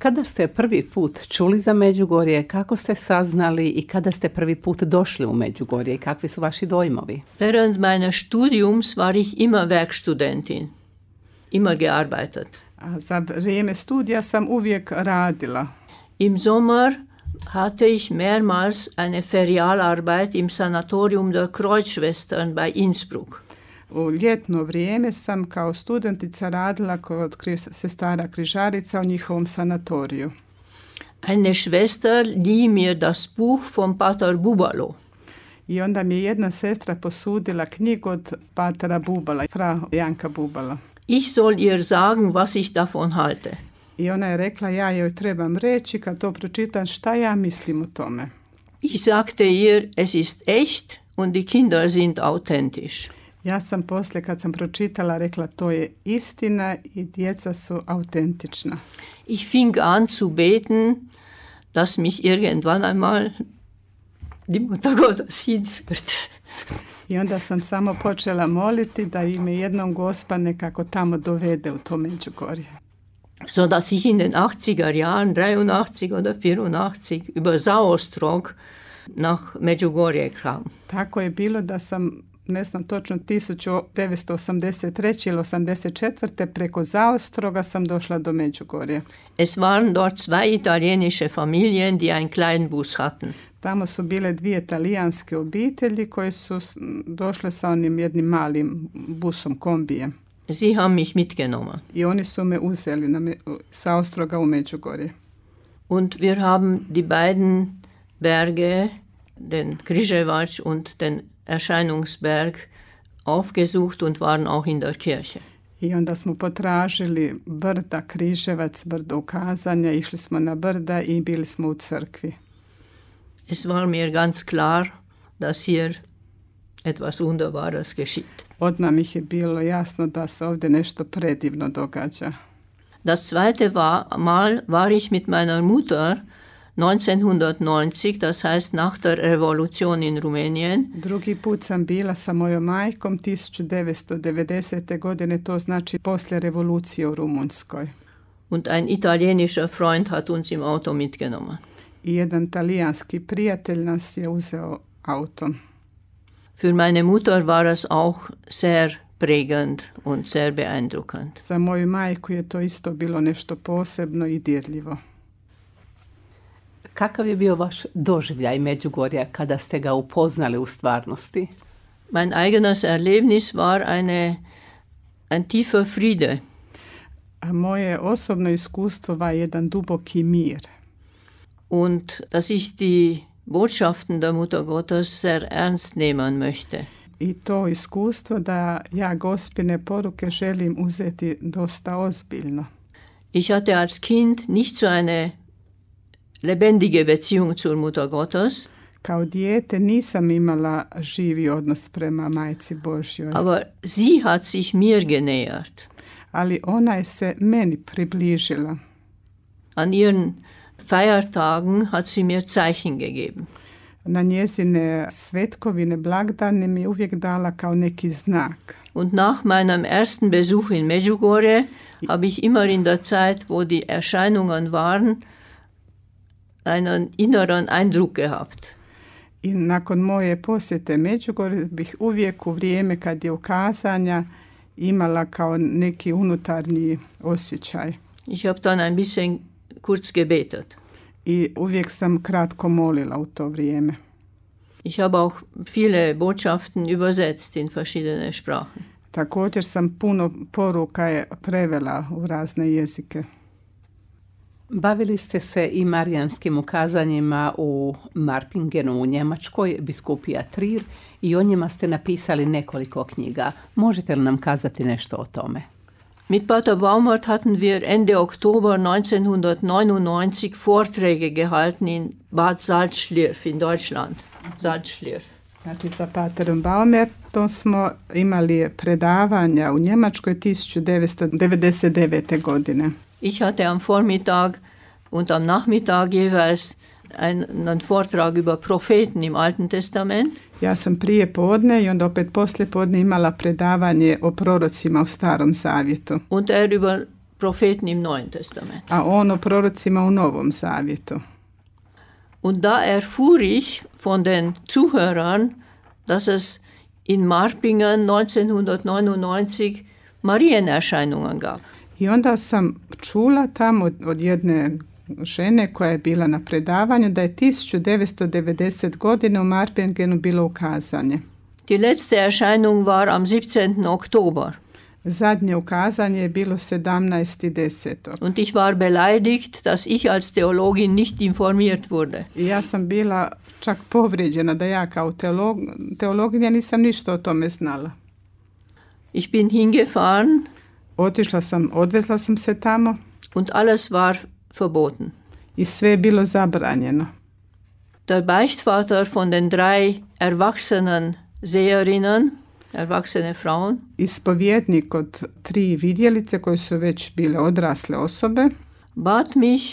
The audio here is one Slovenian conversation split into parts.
Kada ste prvi put čuli za Međugorje, kako ste saznali i kada ste prvi put došli u Međugorje i kakvi su vaši dojmovi? Während meines Studiums war ich immer Werkstudentin, immer gearbeitet. A za vrijeme studija sam uvijek radila. Im Sommer hatte ich mehrmals eine Ferialarbeit im Sanatorium der Kreuzschwestern bei Innsbruck. U ljetno vrijeme sam kao studentica radila kod sestara križarica u njihovom sanatoriju. Eine Schwester lieh mir das Buch von Pater Bubalo. I onda mi je jedna sestra posudila knjigu od patera Bubala, fra Janka Bubala. Ich soll ihr sagen, was ich davon halte. I ona je rekla, ja joj trebam reći kad to pročitam šta ja mislim o tome. Ich sagte ihr, es ist echt und die Kinder sind authentisch. Ja sam poslije kad sam pročitala rekla to je istina i djeca su autentična. Ich fing an zu beten, dass mich irgendwann einmal die Mutter Gottes hinführt. I onda sam samo počela moliti da ime jednom Gospa nekako tamo dovede u to Međugorje. So dass ich in den 80er Jahren, 83 oder 84, über Sauerstrog nach Međugorje kam. Tako je bilo da sam, ne znam točno, 1983. ili 84. preko Zaostroga sam došla do Međugorja. Es waren dort zwei italienische Familien, die einen Kleinbus hatten. Tamo su bile dvije talijanske obitelji koje su došle sa onim jednim malim busom, kombijem. Sie haben mich mitgenommen. I oni su me uzeli sa Ostroga u Međugorje. Und wir haben die beiden Berge, den Križevac und den Erscheinungsberg, aufgesucht und waren auch in der Kirche. I onda smo potražili brda, Križevac, brdo ukazanja, išli smo na brda i bili smo u crkvi. Es war mir ganz klar, dass hier etwas Wunderbares geschieht. Odmah mi je bilo jasno da se ovdje nešto predivno događa. Das zweite Mal war ich mit meiner Mutter 1990, das heißt nach der Revolution in Rumänien. Drugi put sam bila sa mojom majkom 1990. godine, to znači poslije revolucije u Rumunjskoj. Und ein italienischer Freund hat uns im Auto mitgenommen. I jedan talijanski prijatelj nas je uzeo autom. Für meine Mutter war es auch sehr prägend und sehr beeindruckend. Za moju majku je to isto bilo nešto posebno i dirljivo. Kakav je bio vaš doživljaj Međugorja kada ste ga upoznali u stvarnosti? Mein eigenes Erlebnis war ein tiefer Friede. A moje osobno iskustvo var jedan duboki mir. Und dass ich die Botschaften der Mutter Gottes sehr ernst nehmen möchte. I to iskustvo da ja Gospine poruke želim uzeti dosta ozbiljno. Ich hatte als Kind nicht so eine lebendige Beziehung zur Mutter Gottes. Kao dijete nisam imala živi odnos prema Majci Božjoj. Aber sie hat sich mir genähert. Ali ona je se meni približila. An ihren Feiertagen hat sie mir Zeichen gegeben. Na njezine svetkovine, blagdane mi je uvijek dala kao neki znak. Und nach meinem ersten Besuch in Medjugorje habe ich immer in der Zeit, wo die Erscheinungen waren, einen inneren Eindruck gehabt. I nakon moje posjete Međugorju bih uvijek u vrijeme kad je ukazanja imala kao neki unutarnji osjećaj. Ich habe dann ein bisschen kurz gebetet. I uvijek sam kratko molila u to vrijeme. Ich habe auch viele Botschaften übersetzt in verschiedene Sprachen. Također sam puno poruka prevela u razne jezike. Bavili ste se i marijanskim ukazanjima u Marpingenu u Njemačkoj, biskupija Trier, i o njima ste napisali nekoliko knjiga. Možete li nam kazati nešto o tome? Mit Pater Baumert hatten wir Ende Oktober 1999 Vorträge gehalten in Bad Salzschlirf in Deutschland. Salzschlirf. Znači sa Paterom Baumertom smo imali predavanja u Njemačkoj 1999. godine. Ich hatte am Vormittag und am Nachmittag jeweils einen Vortrag über Propheten im Alten Testament. Ja sam prije podne i onda opet poslije podne imala predavanje o prorocima u Starom Zavjetu. Und über Propheten im Neuen Testament. a on o prorocima u Novom Zavjetu. Und da erfuhr ich von den Zuhörern, dass es in Marpingen 1999 Marienerscheinungen gab. I onda sam čula tamo od jedne žene koja je bila na predavanju da je 1990 godine u Marpingenu bilo ukazanje. Die letzte Erscheinung war am 17. Oktober. Zadnje ukazanje je bilo 17.10. Und ich war beleidigt, dass ich als Theologin nicht informiert wurde. I ja sam bila čak povrijeđena da ja kao teologinja nisam ništa o tome znala. Ich bin hingefahren Odvezla sam se tamo und alles war verboten. i sve je bilo zabranjeno. Der Beichtvater von den 3 erwachsenen Seherinnen, erwachsene Frauen, Ispovjednik od 3 vidjelice koje su već bile odrasle osobe bat mich,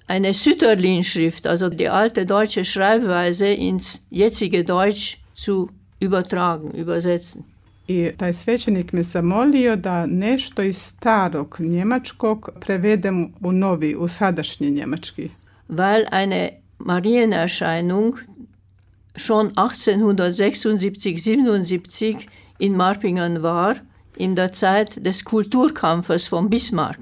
eine Sütterlin-Schrift, also die alte deutsche Schreibweise, ins jetzige Deutsch zu übertragen, übersetzen. i taj svećenik me zamolio da nešto iz starog njemačkog prevedem u sadašnji njemački. Weil eine Marienerscheinung schon 1876-77 in Marpingen war, in der Zeit des Kulturkampfes von Bismarck.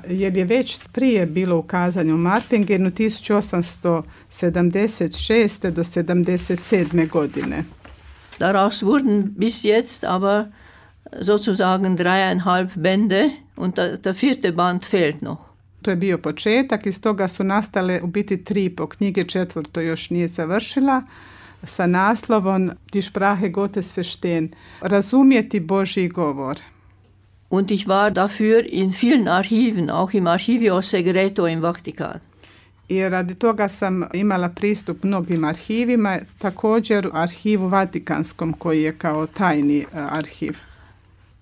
Jer je već prije bilo ukazanje u Marpingenu 1876. do 77. godine. Daraus wurden bis jetzt aber sozusagen 3,5 Bände und der 4. Band fehlt noch. To je bio početak, iz toga su nastale u biti 3,5 knjige, 4. još nije završila, sa naslovom Die Sprache Gottes verstehen, razumjeti Božji govor. Und ich war dafür in vielen Archiven, auch im Archivio Segreto im Vatikan. I radi toga sam imala pristup mnogim arhivima, također u arhivu Vatikanskom koji je kao tajni arhiv.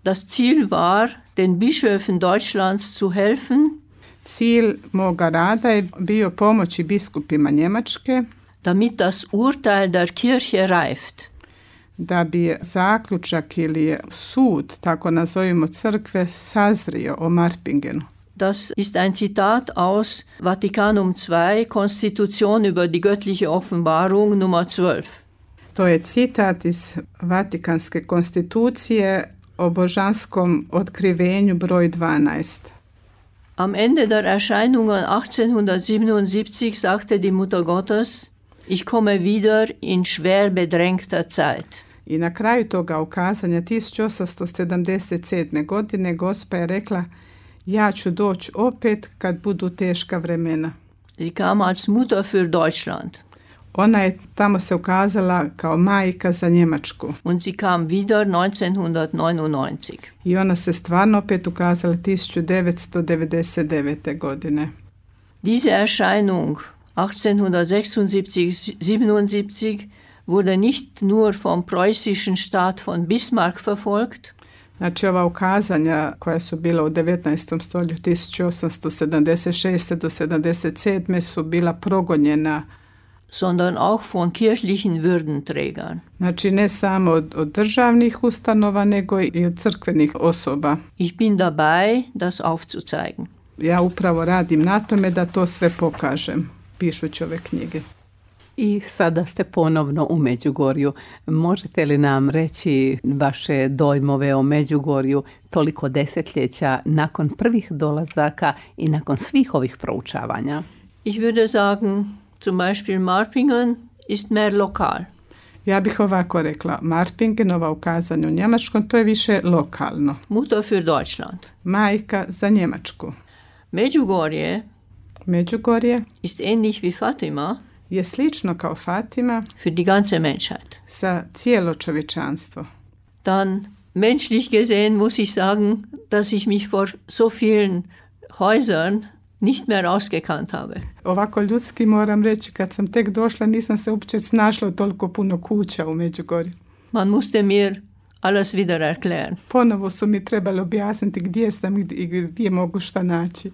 Das Ziel war, den Bischöfen Deutschlands zu helfen, Cilj moga rada je bio pomoći biskupima Njemačke damit das Urteil der Kirche reift. da bi zaključak ili sud, tako nazovimo crkve, sazrio o Marpingenu. Das ist ein Zitat aus Vatikanum II, Konstitution über die göttliche Offenbarung Nummer 12. To je citat iz Vatikanske konstitucije o božanskom otkrivenju broj 12. Am Ende der Erscheinungen 1877 sagte die Mutter Gottes, ich komme wieder in schwer bedrängter Zeit. I na kraju toga ukazanja 1877. godine Gospa je rekla, ja ću doći opet kad budu teška vremena. Sie kam als Mutter für Deutschland. Ona je tamo se ukazala kao majka za Njemačku. Und sie kam wieder 1999. I ona se stvarno opet ukazala 1999. godine. Diese Erscheinung 1876-77 wurde nicht nur vom preußischen Staat von Bismarck verfolgt, Znači ova ukazanja koja su bila u 19. stoljeću 1876. do 77. su bila progonjena, sondern auch von kirchlichen Würdenträgern. znači ne samo od državnih ustanova, nego i od crkvenih osoba. Ich bin dabei, das aufzuzeigen. Ja upravo radim na tome da to sve pokažem, pišući ove knjige. I sada ste ponovno u Međugorju. Možete li nam reći vaše dojmove o Međugorju toliko desetljeća nakon prvih dolazaka i nakon svih ovih proučavanja? Ich würde sagen, zum Beispiel Marpingen ist mehr lokal. Ja bih ovako rekla, Marpingen, ova ukazanja u njemačkom, to je više lokalno. Mutter für Deutschland. Majka za Njemačku. Međugorje ist ähnlich wie Fatima je slično kao Fatima für die ganze Menschheit. Za cijelo čovječanstvo. Dann menschlich gesehen muss ich sagen, dass ich mich vor so vielen Häusern nicht mehr ausgekannt habe. Ovako ljudski moram reći, kad sam tek došla nisam se uopće snašla toliko puno kuća u Međugorju. Man musste mir alles wieder erklären. Ponovo su mi trebali objasniti gdje sam i gdje mogu šta naći.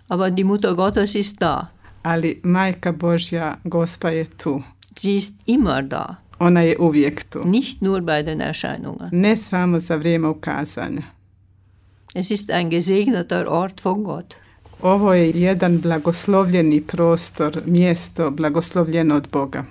Aber die Mutter Gottes ist da. Ali Majka Božja, Gospa je tu. Sie ist immer da. Ona je uvijek tu. Nicht nur bei den Erscheinungen. Ne samo za vrijeme ukazanja. Es ist ein gesegneter Ort von Gott. Ovo je jedan blagoslovljeni prostor, mjesto blagoslovljeno od Boga.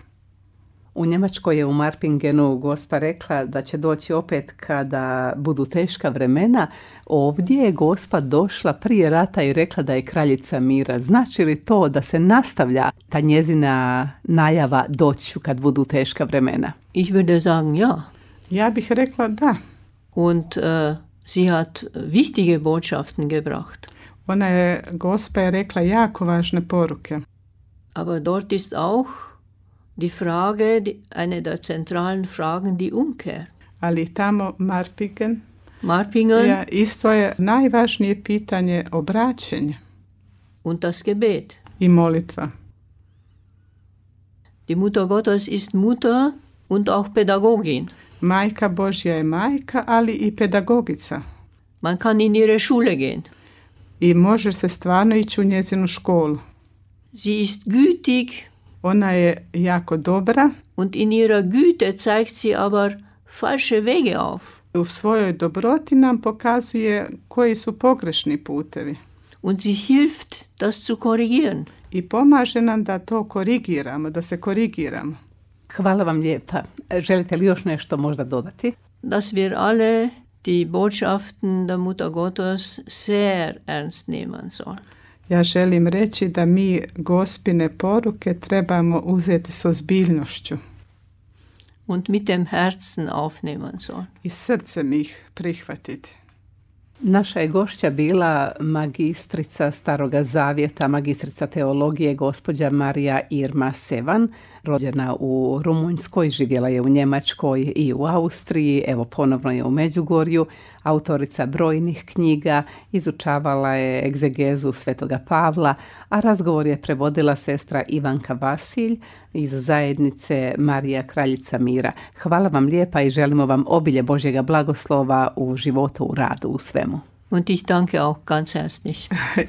U Njemačkoj je u Marpingenu Gospa rekla da će doći opet kada budu teška vremena. Ovdje je Gospa došla prije rata i rekla da je kraljica mira. Znači li to da se nastavlja ta njezina najava doći kad budu teška vremena? Ich würde sagen, ja. Ja bih rekla da. Und sie hat wichtige Botschaften gebracht. Gospa je rekla jako važne poruke. Aber dort ist auch die Frage, eine der zentralen Fragen, die Umkehr. Ali tamo Marpingen isto je najvažnije pitanje obraćenje. Und das Gebet. I molitva. Die Mutter Gottes ist Mutter und auch Pädagogin. Majka Božja je majka, ali i pedagogica. Man kann in ihre Schule gehen. I može se stvarno ići u njezinu školu. Sie ist gütig. Ona je jako dobra. Und in ihrer Güte zeigt sie aber falsche Wege auf. U svojoj dobroti nam pokazuje koji su pogrešni putevi. Und sie hilft, das zu korrigieren. I pomaže nam da to korigiramo, da se korigiramo. Hvala vam lijepa. Želite li još nešto možda dodati? Dass wir alle die Botschaften der Mutter Gottes sehr ernst nehmen sollen. Ja želim reći da mi Gospine poruke trebamo uzeti s ozbiljnošću. Und mit dem Herzen aufnehmen sollen. I srcem ih prihvatiti. Naša je gošća bila magistrica Staroga Zavjeta, magistrica teologije, gospođa Marija Irma Sevan, rođena u Rumunjskoj, živjela je u Njemačkoj i u Austriji, evo ponovno je u Međugorju, autorica brojnih knjiga, izučavala je egzegezu Svetoga Pavla, a razgovor je prevodila sestra Ivanka Vasilj iz zajednice Marija Kraljica mira. Hvala vam lijepa i želimo vam obilje Božjega blagoslova u životu, u radu, u svemu. Und ich danke auch ganz herzlich.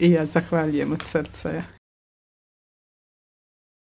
I ja zahvaljujem od srca.